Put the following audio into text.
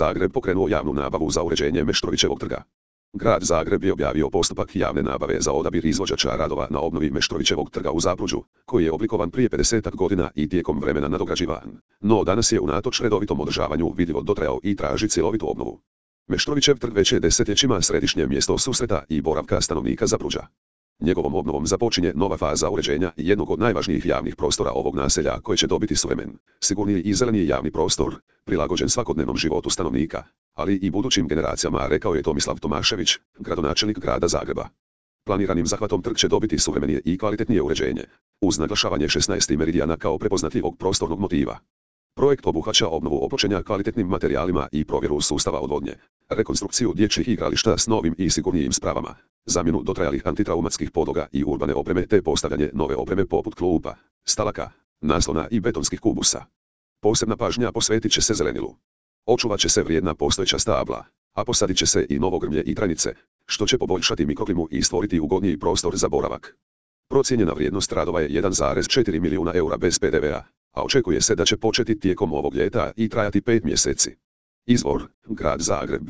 Zagreb pokrenuo javnu nabavu za uređenje Meštrovićevog trga. Grad Zagreb je objavio postupak javne nabave za odabir izvođača radova na obnovi Meštrovićevog trga u Zapruđu, koji je oblikovan prije 50 godina i tijekom vremena nadograđivan, no danas je unatoč redovitom održavanju vidljivo dotrajao i traži cjelovitu obnovu. Meštrovićev trg već je desetljećima središnje mjesto susreta i boravka stanovnika Zapruđa. Njegovom obnovom započinje nova faza uređenja jednog od najvažnijih javnih prostora ovog naselja koji će dobiti suvremen, sigurniji i zeleniji javni prostor, prilagođen svakodnevnom životu stanovnika, ali i budućim generacijama, rekao je Tomislav Tomašević, gradonačelnik grada Zagreba. Planiranim zahvatom trg će dobiti suvremenije i kvalitetnije uređenje, uz naglašavanje 16. meridijana kao prepoznatljivog prostornog motiva. Projekt obuhvaća obnovu opločenja kvalitetnim materijalima i provjeru sustava odvodnje, rekonstrukciju dječjih igrališta s novim i sigurnijim spravama, zamjenu dotrajalih antitraumatskih podloga i urbane opreme te postavljanje nove opreme poput klupa, stalaka, naslona i betonskih kubusa. Posebna pažnja posvetit će se zelenilu. Očuvat će se vrijedna postojeća stabla, a posadit će se i novo grmlje i trajnice, što će poboljšati mikroklimu i stvoriti ugodniji prostor za boravak. Procijenjena vrijednost radova je 1,4 milijuna eura bez PDV-a, a očekuje se da će početi tijekom ovog ljeta i trajati 5 mjeseci. Izvor: Grad Zagreb.